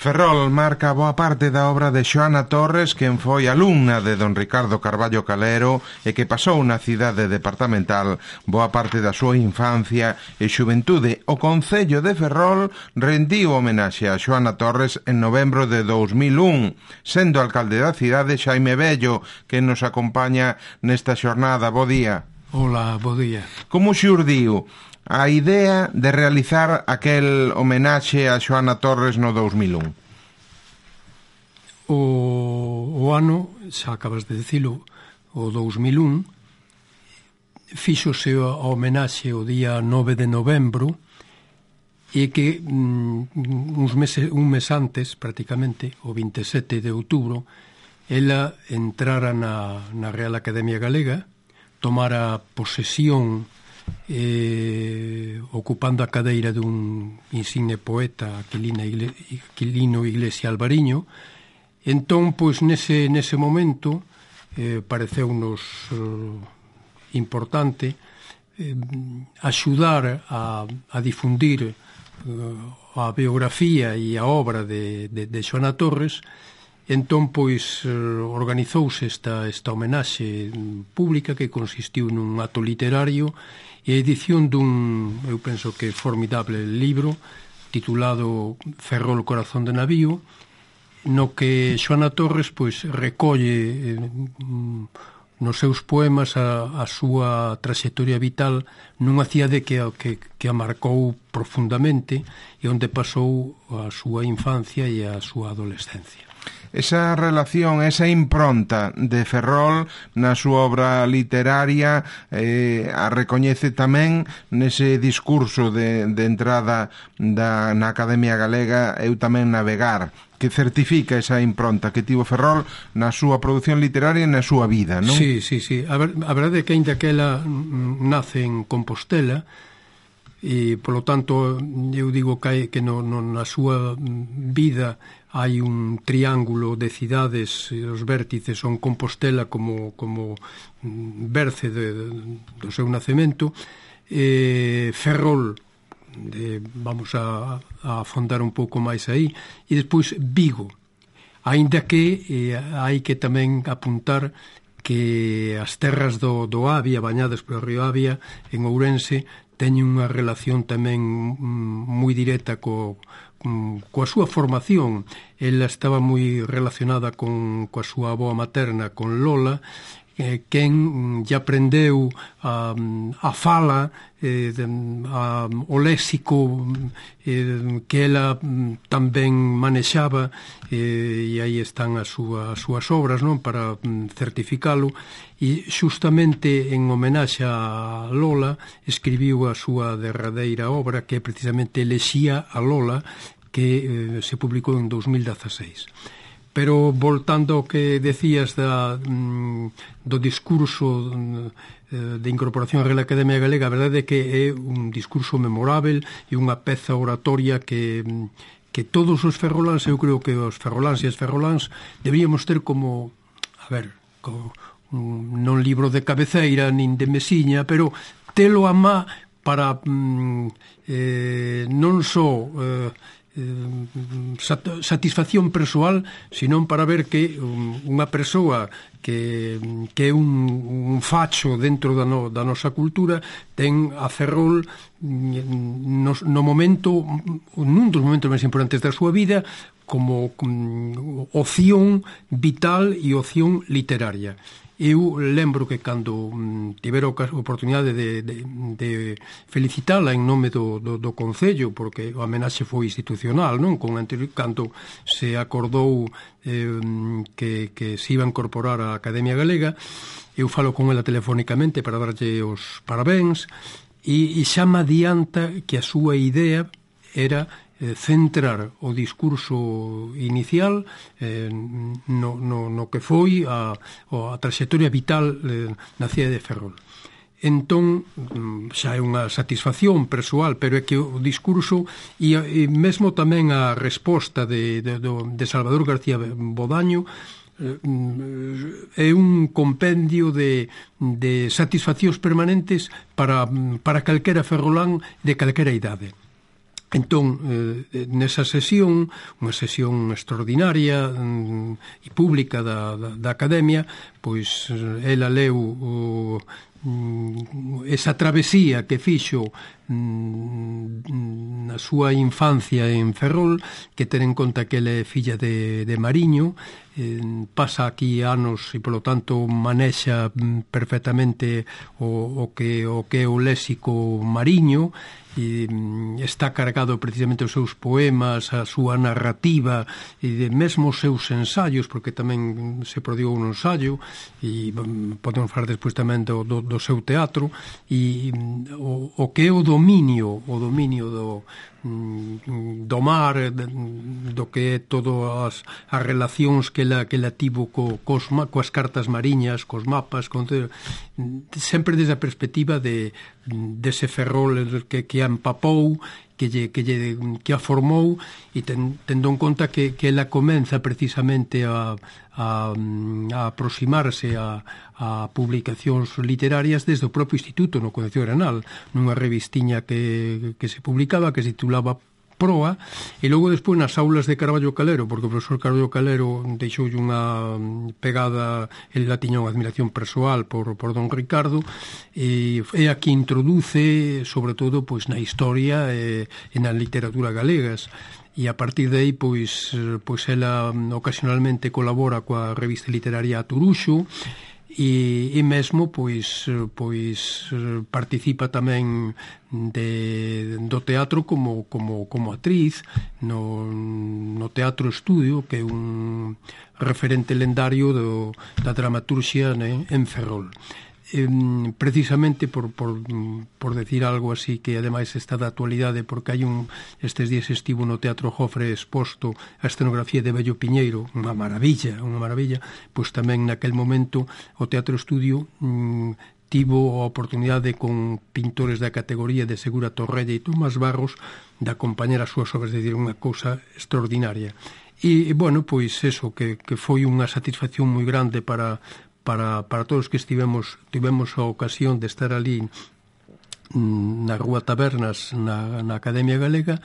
Ferrol marca boa parte da obra de Xoana Torres, quen foi alumna de don Ricardo Carballo Calero e que pasou na cidade departamental boa parte da súa infancia e xuventude. O Concello de Ferrol rendiu homenaxe a Xoana Torres en novembro de 2001, sendo alcalde da cidade Xaime Bello, que nos acompaña nesta xornada. Bo día. Hola, bo día. Como xurdiu a idea de realizar aquel homenaxe a Xoana Torres no 2001? O ano, xa acabas de dicilo, o 2001, fíxose a homenaxe o día 9 de novembro e que un mes antes, prácticamente, o 27 de outubro, ela entrara na Real Academia Galega, tomara posesión ocupando a cadeira dun insigne poeta, Aquilino Iglesia Alvariño. Entón, pois, nese momento pareceunos importante axudar a difundir a biografía e a obra de Xoana Torres. Entón, pois, organizouse esta homenaxe pública que consistiu nun acto literario e edición dun, eu penso que formidable libro titulado Ferrol, corazón de navío, no que Xoana Torres, pois, recolle nos seus poemas a súa traxectoria vital nunha cidade que a marcou profundamente e onde pasou a súa infancia e a súa adolescencia. Esa relación, esa impronta de Ferrol na súa obra literaria a recoñece tamén nese discurso de entrada na Academia Galega Eu tamén navegar, que certifica esa impronta que tivo Ferrol na súa produción literaria e na súa vida, non? Sí. A verdade é que aínda que ela nace en Compostela, e, polo tanto, eu digo que na súa vida hai un triángulo de cidades, os vértices son Compostela como berce do seu nacemento, Ferrol, vamos a afondar un pouco máis aí, e despois Vigo, aínda que hai que tamén apuntar que as terras do Avia, bañadas polo río Avia, en Ourense, teñen unha relación tamén moi directa coa súa formación. Ela estaba moi relacionada coa súa avoa materna, con Lola, quen lle aprendeu a fala, o léxico que ela tamén manexaba, e aí están as súas obras, non, para certificalo. E xustamente en homenaxe a Lola escribiu a súa derradeira obra, que é precisamente Elexía a Lola, que se publicou en 2016. Pero voltando ao que decías do discurso de incorporación á Real Academia Galega, a verdade é que é un discurso memorável e unha peza oratoria que todos os ferroláns, eu creo que os ferroláns e as ferroláns deberíamos ter como, non libro de cabeceira nin de mesiña, pero telo a má para non só satisfacción persoal, senón para ver que unha persoa que é un facho dentro da nosa cultura ten a Ferrol nun dos momentos máis importantes da súa vida como opción vital e opción literaria. Eu lembro que cando tivera a oportunidade de felicitala en nome do Concello, porque a homenaxe foi institucional, non? Cando se acordou que se iba a incorporar á Academia Galega, eu falo con ela telefónicamente para darlle os parabéns, e xa me adianta que a súa idea era centrar o discurso inicial no que foi a traxectoria vital na cidade de Ferrol. Entón, xa é unha satisfacción persoal, pero é que o discurso e mesmo tamén a resposta de Salvador García Bodaño é un compendio de satisfaccións permanentes para calquera ferrolán de calquera idade. Entón, nesa sesión, unha sesión extraordinaria e pública da Academia, pois ela leu esa travesía que fixo na súa infancia en Ferrol, que ten en conta que ela é filla de Mariño, pasa aquí anos e polo tanto manexa perfectamente o que é o léxico mariño, e está cargado precisamente os seus poemas, a súa narrativa e mesmo os seus ensaios, porque tamén se prodigou un ensaio, e podemos falar despois tamén do seu teatro, e o que é o dominio do mar, do que é todas as relacións que ela tivo coas cartas mariñas, cos mapas, sempre desde a perspectiva dese Ferrol que a empapou, que a formou, e tendo en conta que ela comeza precisamente a aproximarse a publicacións literarias desde o propio Instituto no Concello de Granal, nunha revistiña que se publicaba, que se titulaba Proa, e logo despois nas aulas de Carballo Calero, porque o profesor Carballo Calero deixoulle unha pegada, ele la tiña unha admiración persoal por don Ricardo, e é a que introduce sobre todo pois na historia e na literatura galegas, e a partir de aí pois ela ocasionalmente colabora coa revista literaria Aturuxo, e mesmo pois participa tamén do teatro como actriz no Teatro Estudio, que é un referente lendario da dramaturxia en Ferrol. Precisamente por decir algo así que ademais está da actualidade, porque hai estes días estivo no Teatro Jofre exposto a escenografía de Bello Piñeiro, unha maravilla, pois tamén naquel momento o Teatro Estudio tivo a oportunidade con pintores da categoría de Segura Torrella e Tomás Barros de acompañar as súas obras, de decir, unha cousa extraordinaria. E, bueno, pois eso, que foi unha satisfacción moi grande para todos que tivemos a ocasión de estar ali na Rúa Tabernas na Academia Galega,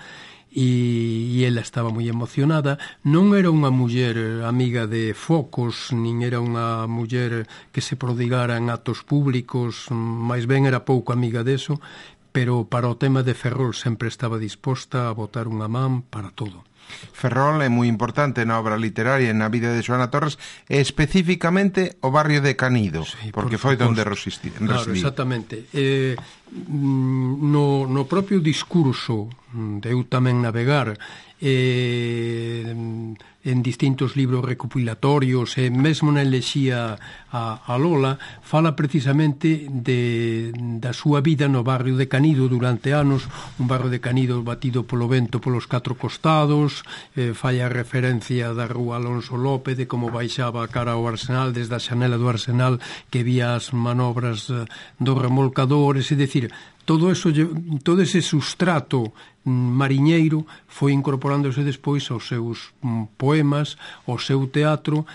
e ela estaba moi emocionada. Non era unha muller amiga de focos, nin era unha muller que se prodigara en actos públicos, máis ben era pouco amiga deso, pero para o tema de Ferrol sempre estaba disposta a botar unha man para todo. Ferrol é moi importante na obra literaria e na vida de Xoana Torres, e especificamente o barrio de Canido, sí, porque foi onde residiu. Claro, exactamente. No propio discurso de Eu tamén navegar, en distintos libros recopilatorios, e mesmo na elexía a Lola, fala precisamente da súa vida no barrio de Canido durante anos, un barrio de Canido batido polo vento polos catro costados, fai a referencia da Rúa Alonso López, de como baixaba a cara ao Arsenal, desde a xanela do Arsenal que vía as manobras dos remolcadores, é dicir, todo ese sustrato mariñeiro foi incorporándose despois aos seus poemas, ao seu teatro.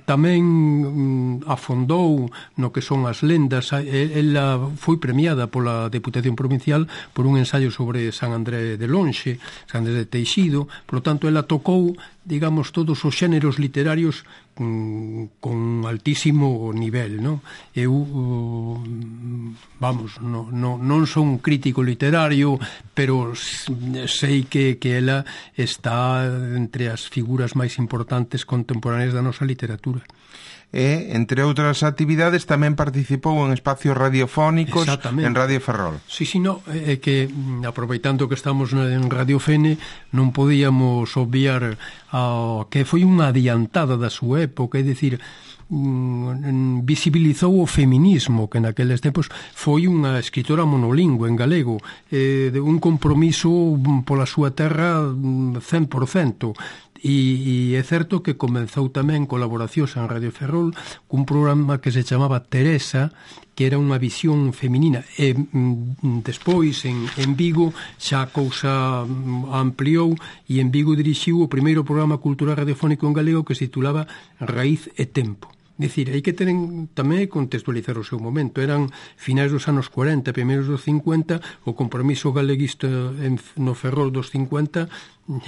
Tamén afondou no que son as lendas. Ela foi premiada pola Deputación Provincial por un ensaio sobre San André de Lonxe, San André de Teixido. Por lo tanto, ela tocou, digamos, todos os xéneros literarios con altísimo nivel, non? Eu, non son un crítico literario, pero sei que ela está entre as figuras máis importantes contemporáneas da nosa literatura. E, entre outras actividades, tamén participou en espacios radiofónicos en Radio Ferrol. Sí, no, é que, aproveitando que estamos en Radio Fene, non podíamos obviar que foi unha adiantada da súa época, é dicir, visibilizou o feminismo, que naqueles tempos foi unha escritora monolingüe en galego, un compromiso pola súa terra 100%. E é certo que comenzou tamén colaboracións en Radio Ferrol cun programa que se chamaba Teresa, que era unha visión feminina, e despois en Vigo xa a cousa ampliou, e en Vigo dirixiu o primeiro programa cultural radiofónico en galego que se titulaba Raíz e Tempo. Dicir, hai que ter tamén contextualizar o seu momento. Eran finais dos anos 40, primeiros dos 50, o compromiso galeguista no Ferrol dos 50,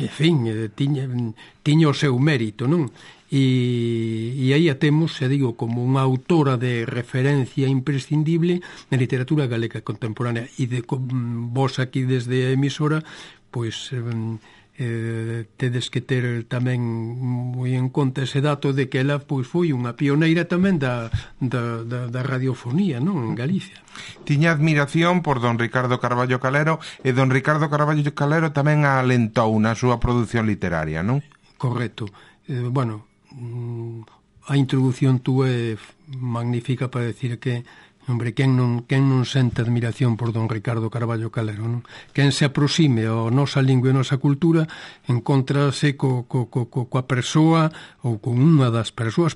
en fin, tiña o seu mérito, non? E aí a temos, xa digo, como unha autora de referencia imprescindible na literatura galega contemporánea. E vos aquí desde a emisora, pois tedes que ter tamén moi en conta ese dato de que ela pois foi unha pioneira tamén da radiofonía, non, en Galicia. Tiña admiración por don Ricardo Carballo Calero, e don Ricardo Carballo Calero tamén a alentou na súa produción literaria, non? Correcto. Bueno, a introdución túa é magnífica para decir que hombre, quen non sente admiración por don Ricardo Carballo Calero, non? Quen se aproxime ao nosa lingua e a nosa cultura encontrase coa persoa ou con unha das persoas,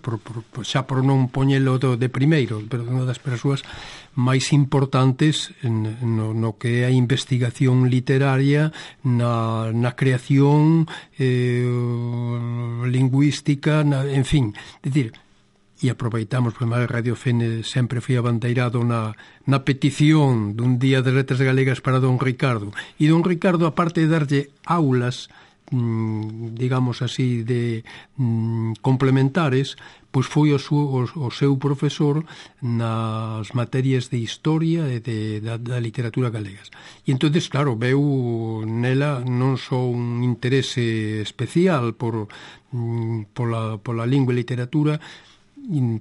xa por non poñelo de primeiro, pero unha das persoas máis importantes no que é a investigación literaria, na creación lingüística, en fin, decir, e aproveitamos, porque a Radio Fene sempre foi abandeirado na petición dun Día de Letras Galegas para don Ricardo. E don Ricardo, aparte de darlle aulas, digamos así, de complementares, pois foi o seu profesor nas materias de historia e da literatura galegas. E entonces, claro, veu nela non só un interese especial pola lingua e literatura,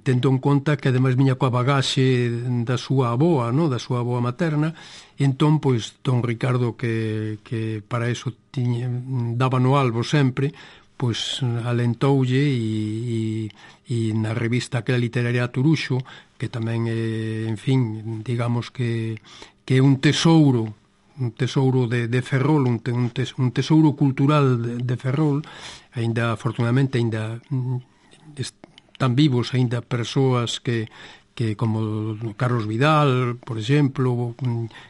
tendo en conta que ademais viña coa bagaxe da súa avoa, no? Da súa avoa materna, e entón, pois, don Ricardo, que para eso daba no albo sempre, pois alentoulle e na revista aquela literaria Turuxo, que tamén é, en fin, digamos que é un tesouro de Ferrol, un tesouro cultural de Ferrol, afortunadamente, están vivos aínda persoas que como Carlos Vidal, por exemplo,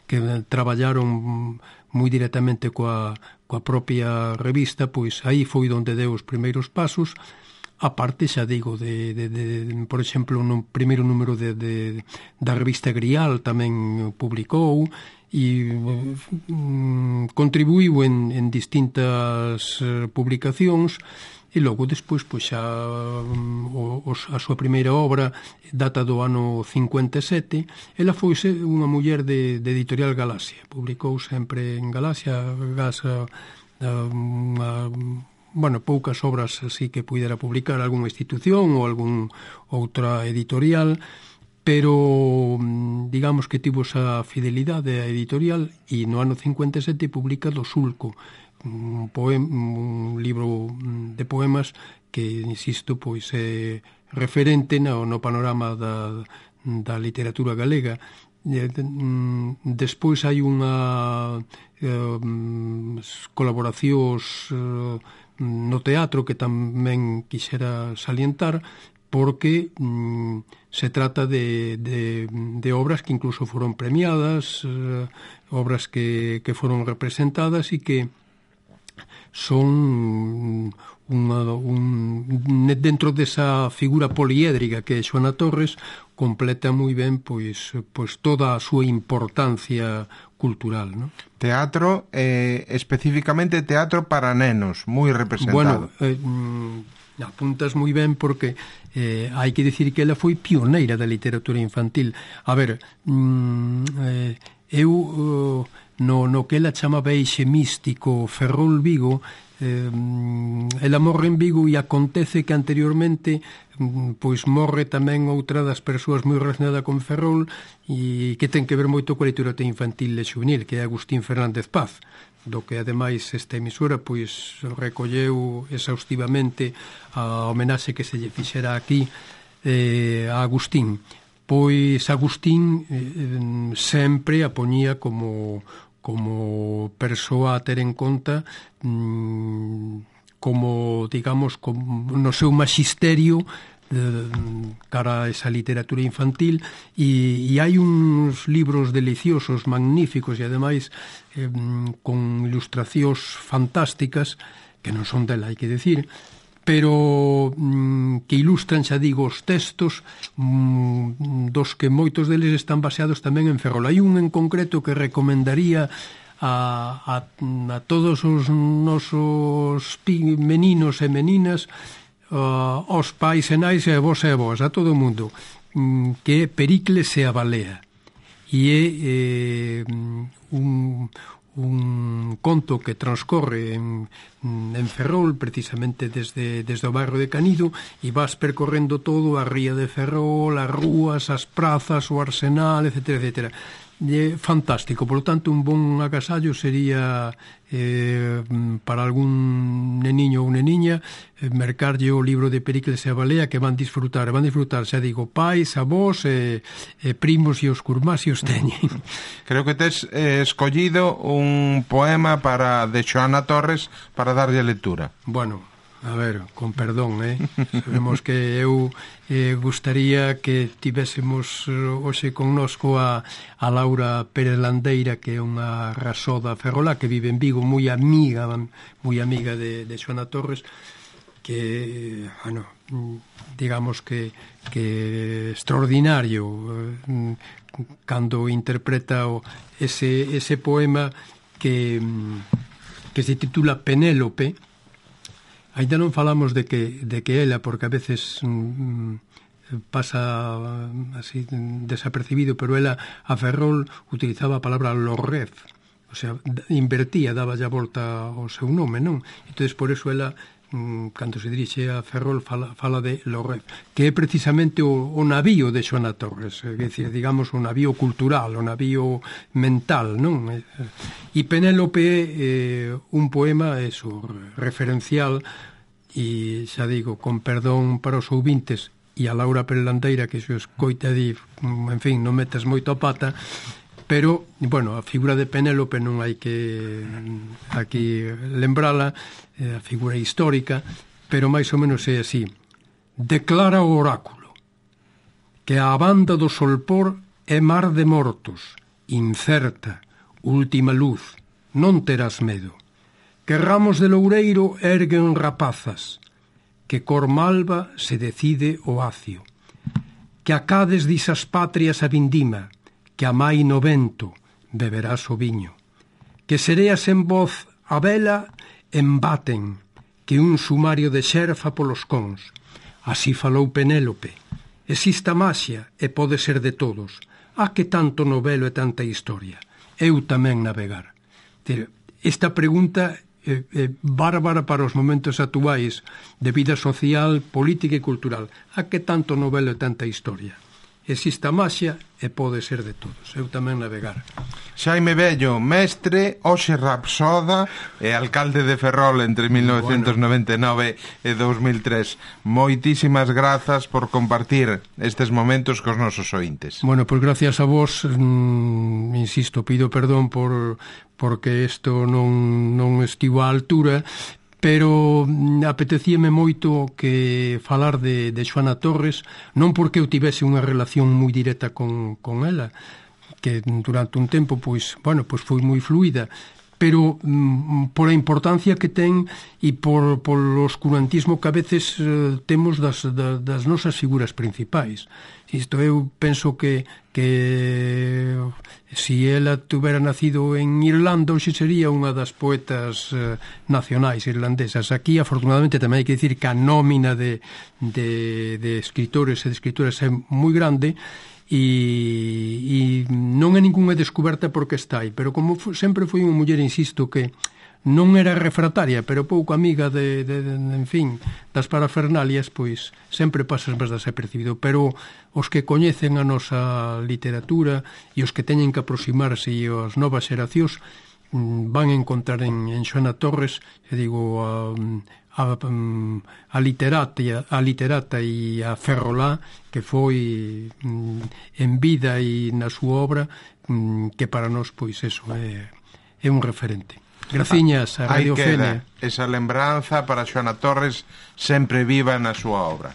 que traballaron moi directamente coa propia revista, pois aí foi onde deu os primeiros pasos. A parte, xa digo, por exemplo, no primeiro número da revista Grial tamén publicou e contribuiu en distintas publicacións. E logo, despois, pois xa a súa primeira obra data do ano 57. Ela foi unha muller de editorial Galaxia. Publicou sempre en Galaxia, poucas obras así que pudera publicar algunha institución ou algún outra editorial, pero digamos que tivo esa fidelidade a editorial e no ano 57 publica Do Sulco, un libro de poemas que, insisto, pois é referente no panorama da literatura galega. Despois hai unha colaboracións no teatro que tamén quixera salientar, porque se trata de obras que incluso foron premiadas, obras que foron representadas e que son dentro desa figura poliédrica que é Xoana Torres, completa moi ben pois toda a súa importancia cultural, ¿no? Teatro, especificamente teatro para nenos, moi representado. Bueno, apuntas moi ben porque hai que dicir que ela foi pioneira da literatura infantil. A ver, eu no que ela chamaba eixe místico Ferrol Vigo, ela morre en Vigo e acontece que anteriormente pois morre tamén outra das persoas moi relacionada con Ferrol e que ten que ver moito coa literatura infantil e juvenil, que é Agustín Fernández Paz, do que ademais esta emisora pois recolleu exhaustivamente a homenaxe que se lle fixera aquí a Agustín. Pois Agustín sempre a poñía como persoa a ter en conta, como, digamos, no seu magisterio cara a esa literatura infantil, e hai uns libros deliciosos, magníficos e ademais con ilustracións fantásticas que non son dela, hai que decir, pero que ilustran, xa digo, os textos dos que moitos deles están baseados tamén en Ferrol. Hai un en concreto que recomendaría a todos os nosos meninos e meninas, aos pais e nais e a vos, a todo o mundo, que é Pericles e a balea, e é un conto que transcorre en Ferrol, precisamente desde o bairro de Canido, e vas percorrendo todo a ría de Ferrol, as rúas, as prazas, o arsenal, etcétera, etcétera. É fantástico, por lo tanto un bon agasallo sería para algún neniño ou neniña mercarlle o libro de Pericles e a balea, que van disfrutar, xa digo, pais, avós e primos e os curmás se os teñen. Creo que tes escollido un poema de Xoana Torres para darlle lectura. Bueno, a ver, con perdón, sabemos que eu gustaría que tivésemos hoxe connosco a Laura Pérez Landeira, que é unha rasoda ferrolá que vive en Vigo, moi amiga de Xoana Torres, que, bueno, digamos que extraordinario cando interpreta ese poema que se titula Penélope. Ainda non falamos de que ela, porque a veces pasa así desapercibido, pero ela a Ferrol utilizaba a palabra lorrez, o sea, invertía, daba a volta ao seu nome, non? Entón, por eso ela, cando se dirixe a Ferrol, fala de lorrez, que é precisamente o navío de Xoana Torres, é dicir, digamos, o navío cultural, o navío mental, non? E Penélope é un poema, eso, referencial, e xa digo, con perdón para os ouvintes e a Laura Pérez Landeira, que se os coita di, en fin, non metas moito a pata, pero, bueno, a figura de Penélope non hai que aquí lembrala, a figura histórica, pero máis ou menos é así. Declara o oráculo que a banda do solpor é mar de mortos, incerta, última luz, non terás medo. Que ramos de loureiro erguen rapazas, que cor malva se decide o acio, que acades disas patrias a vindima, que amai no vento beberás o viño, que sereas en voz a vela embaten, que un sumario de xerfa polos cons. Así falou Penélope. Exista maxia e pode ser de todos. A que tanto novelo e tanta historia? Eu tamén navegar. Esta pregunta bárbara para os momentos actuais de vida social, política e cultural. A que tanto novelo e tanta historia? Exista maxia e pode ser de todos. Eu tamén navegar. Xaime Bello, mestre, hoxe rapsoda e alcalde de Ferrol entre 1999 e 2003. Moitísimas grazas por compartir estes momentos cos nosos ointes. Bueno, pois gracias a vos, insisto, pido perdón porque isto non estivo á altura, pero apetecíame moito que falar de Xoana Torres, non porque eu tivese unha relación moi directa con ela, que durante un tempo, pois foi moi fluida, pero por a importancia que ten e por o oscurantismo que a veces temos das nosas figuras principais. Isto eu penso que si ela tuvera nacido en Irlanda, hoxe sería unha das poetas nacionais irlandesas. Aquí, afortunadamente, tamén hai que dicir que a nómina de escritores e de escritoras é moi grande, e non é ningunha descoberta porque está aí, pero como sempre foi unha muller, insisto, que non era refrataria, pero pouco amiga en fin, das parafernalias, pois sempre pasas máis desapercibido. Pero os que coñecen a nosa literatura e os que teñen que aproximarse e as novas xeracións van encontrar en Xoana Torres, digo, a literata e a ferrolá que foi en vida e na súa obra, que para nós, pois, eso é un referente. Graciñas a Radio Fene. Esa lembranza para Xoana Torres sempre viva na súa obra.